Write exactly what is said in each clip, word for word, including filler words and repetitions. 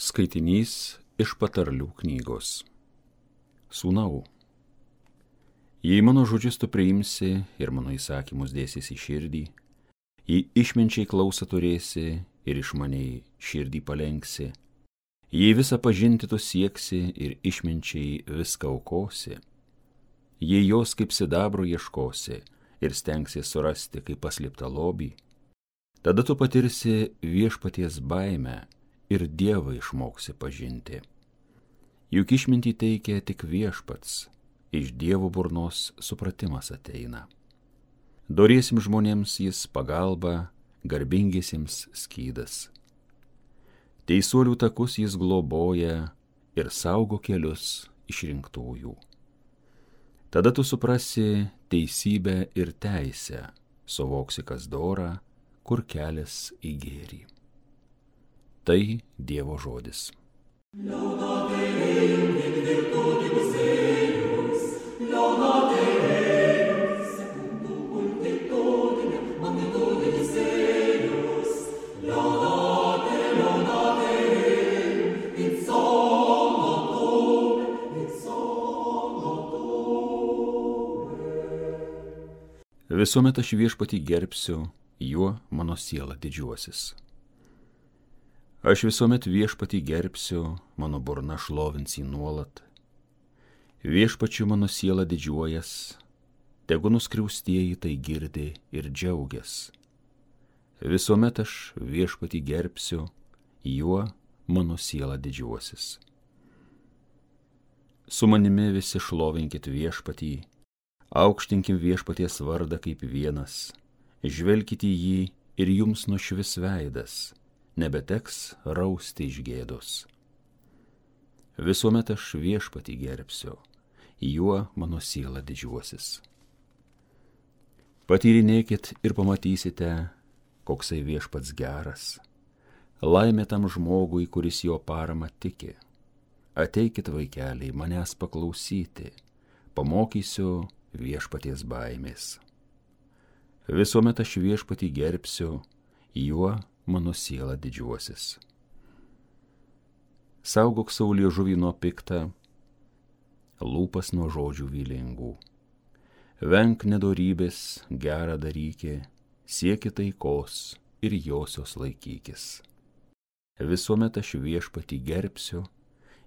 Skaitinys iš patarlių knygos. Sūnau, jei mano žodžius tu priimsi ir mano įsakymus dėsis į širdį, jei išminčiai klausą turėsi ir išmaniai širdį palenksi, jei visą pažinti tu sieksi ir išminčiai viską aukosi, jei jos kaip sidabro ieškosi ir stengsi surasti kaip paslėptą lobį, tada tu patirsi viešpaties baimę ir Dievą išmoksi pažinti. Juk išmintį teikia tik viešpats, iš Dievo burnos supratimas ateina. Doriesim žmonėms jis pagalba, garbingiesiems skydas. Teisuolių takus jis globoja ir saugo kelius išrinktųjų. Tada tu suprasi teisybę ir teisę, suvoksi kas dora, kur kelias į gėrį. Tai Dievo žodis. Laudate Deum in virtutibus eius, laudate Deum secundum multitudinem magnitudinis eius, laudate, laudate Deum in solum, in solum. Visuomet aš viešpatį gerbsiu, juo mano siela didžiuosis. Aš visuomet viešpatį gerbsiu, mano burna šlovins jį nuolat. Viešpačiu mano siela didžiuojas, tegu nuskriaustieji tai girdi ir džiaugias. Visuomet aš viešpatį gerbsiu, juo mano siela didžiuosis. Su manimi visi šlovinkit viešpatį, aukštinkim viešpaties vardą kaip vienas, žvelkite į jį ir jums nušvis veidas, nebeteks rausti iš gėdos. Visuomet aš viešpatį gerbsiu, juo mano siela didžiuosis. Patyrinėkit ir pamatysite, koksai viešpats geras. Laimė tam žmogui, kuris jo parama tiki. Ateikit, vaikeliai, manęs paklausyti, pamokysiu viešpaties baimės. Visuomet aš viešpatį gerbsiu, juo mano siela didžiuosis. Saugok savo liežuvį nuo piktą, lūpas nuo žodžių vylingų. Venk nedorybės, gerą darykė, sieki taikos ir josios laikykis. Visuomet aš viešpatį gerbsiu,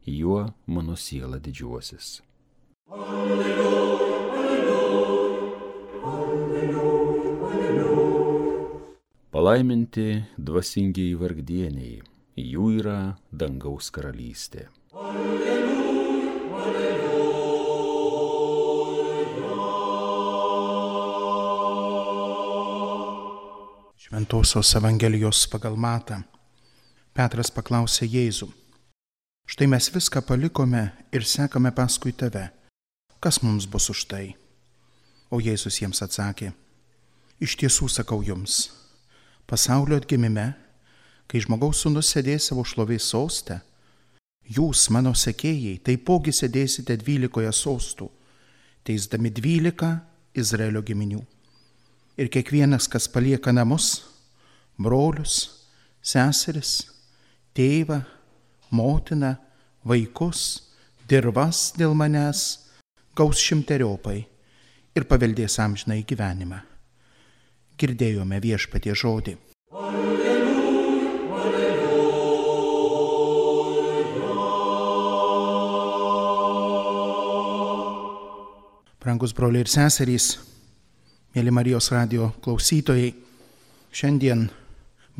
juo mano siela didžiuosis. Alleluja, alleluja, alleluja, alleluja. Palaiminti dvasingieji vargdieniai, jų yra dangaus karalystė. Alleluja, alleluja. Šventosios Evangelijos pagal Matą. Petras paklausė Jėzų: štai mes viską palikome ir sekame paskui tave. Kas mums bus už tai? O Jėzus jiems atsakė: iš tiesų sakau jums, pasaulio atgimime, kai žmogaus sūnus sėdės savo šlovės soste, jūs, mano sekėjai, taipogi sėdėsite dvylikoje sostų, teisdami dvylika Izraelio giminių. Ir kiekvienas, kas palieka namus, brolius, seseris, tėvą, motiną, vaikus, dirvas dėl manęs, gaus šimteriopai ir paveldės amžinąjį gyvenimą. Girdėjome Viešpaties žodį. Alleluja, alleluja. Brangus broliai ir seserys, mėly Marijos radijo klausytojai, šiandien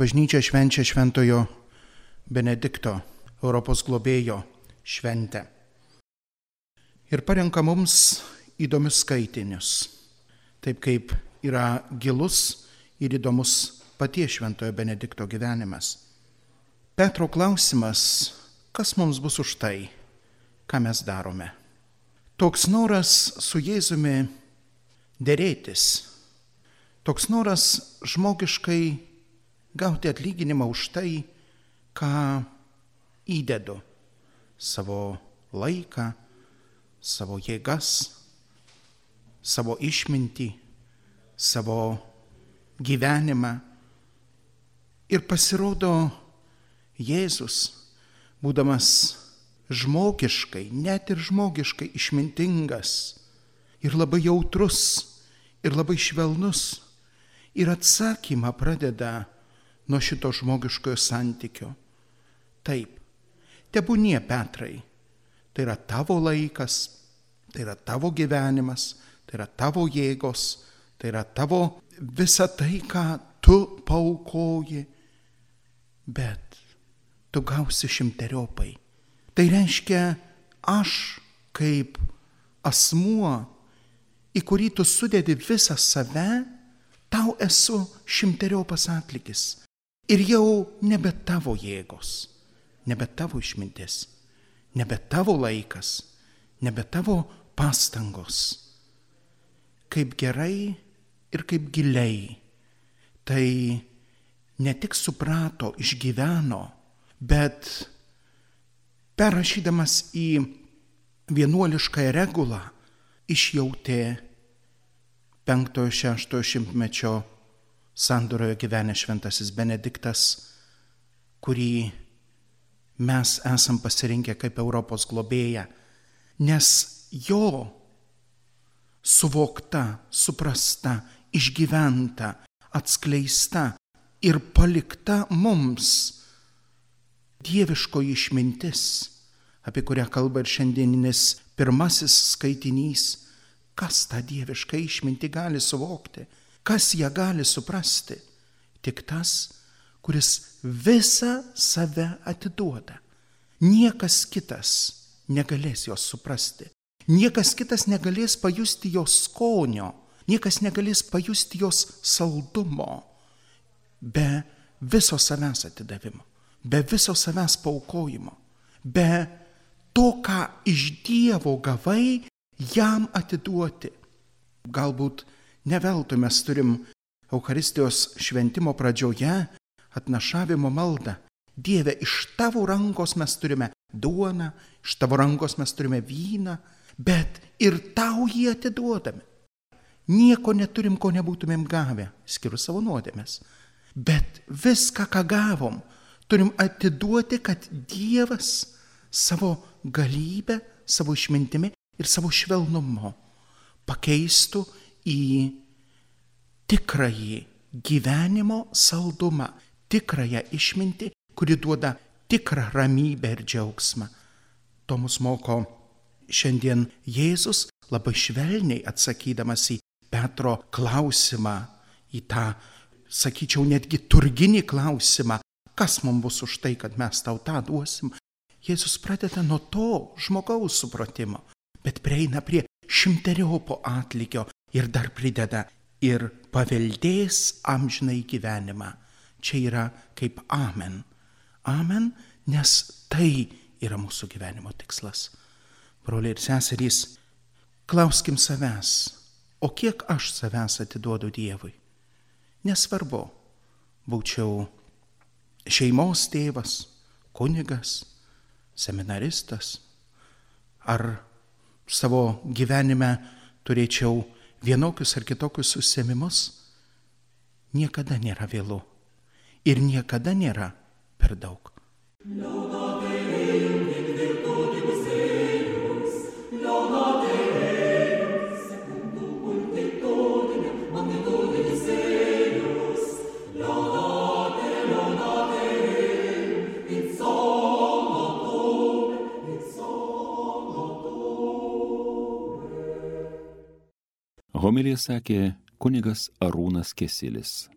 bažnyčia švenčia šventojo Benedikto, Europos globėjo šventę. Ir parenka mums įdomius skaitinius, taip kaip yra gilus ir įdomus paties šventojo Benedikto gyvenimas. Petro klausimas: kas mums bus už tai, ką mes darome? Toks noras su Jėzumi derėtis, toks noras žmogiškai gauti atlyginimą už tai, ką įdedu, savo laiką, savo jėgas, savo išmintį, savo gyvenimą. Ir pasirodo, Jėzus būdamas žmogiškai, net ir žmogiškai išmintingas ir labai jautrus ir labai švelnus, ir atsakymą pradeda nuo šito žmogiškojo santykio. Taip, tebūnie, Petrai, tai yra tavo laikas, tai yra tavo gyvenimas, tai yra tavo jėgos, tai yra tavo visa tai, ką tu paaukoji, bet tu gausi šimteriopai. Tai reiškia, aš kaip asmuo, į kurį tu sudedi visą save, tau esu šimteriopas atlygis. Ir jau nebe tavo jėgos, nebe tavo išmintis, nebe tavo laikas, nebe tavo pastangos. Kaip gerai ir kaip giliai tai ne tik suprato, išgyveno, bet perrašydamas į vienuoliškąją regulą išjautė penktojo šeštojo šimtmečio sandoroje gyvenęs šventasis Benediktas, kurį mes esam pasirinkę kaip Europos globėją, nes jo suvokta, suprasta, išgyventa, atskleista ir palikta mums dieviškoji išmintis, apie kurią kalba ir šiandieninis pirmasis skaitinys. Kas tą dievišką išmintį gali suvokti? Kas ją gali suprasti? Tik tas, kuris visą save atiduoda. Niekas kitas negalės jos suprasti. Niekas kitas negalės pajusti jos skonio. Niekas negalės pajusti jos saldumo be viso savęs atidavimo, be viso savęs paaukojimo, be to, ką iš Dievo gavai, jam atiduoti. Galbūt ne veltui mes turim Eucharistijos šventimo pradžioje atnašavimo maldą. Dieve, iš tavo rankos mes turime duoną, iš tavo rankos mes turime vyną, bet ir tau jį atiduodame. Nieko neturim, ko nebūtumėm gavę, skirus savo nuodėmes. Bet viską, ką gavom, turim atiduoti, kad Dievas savo galybę, savo išmintimi ir savo švelnumu pakeistų į tikrąjį gyvenimo saldumą, tikrąją išmintį, kuri duoda tikrą ramybę ir džiaugsmą. To mus moko šiandien Jėzus, labai švelniai atsakydamas į Petro klausimą, į tą, sakyčiau, netgi turginį klausimą, kas mums bus už tai, kad mes tau tą duosim. Jėzus pradeda nuo to žmogaus supratimo, bet prieina prie šimteriopo atlygio ir dar prideda ir paveldės amžinai gyvenimą. Čia yra kaip amen. Amen, nes tai yra mūsų gyvenimo tikslas. Broliai ir seserys, klauskim savęs, o kiek aš savęs atiduodu Dievui? Nesvarbu, būčiau šeimos tėvas, kunigas, seminaristas, ar savo gyvenime turėčiau vienokius ar kitokius užsiėmimus, niekada nėra vėlu ir niekada nėra per daug. Homiliją sakė kunigas Arūnas Kesilis.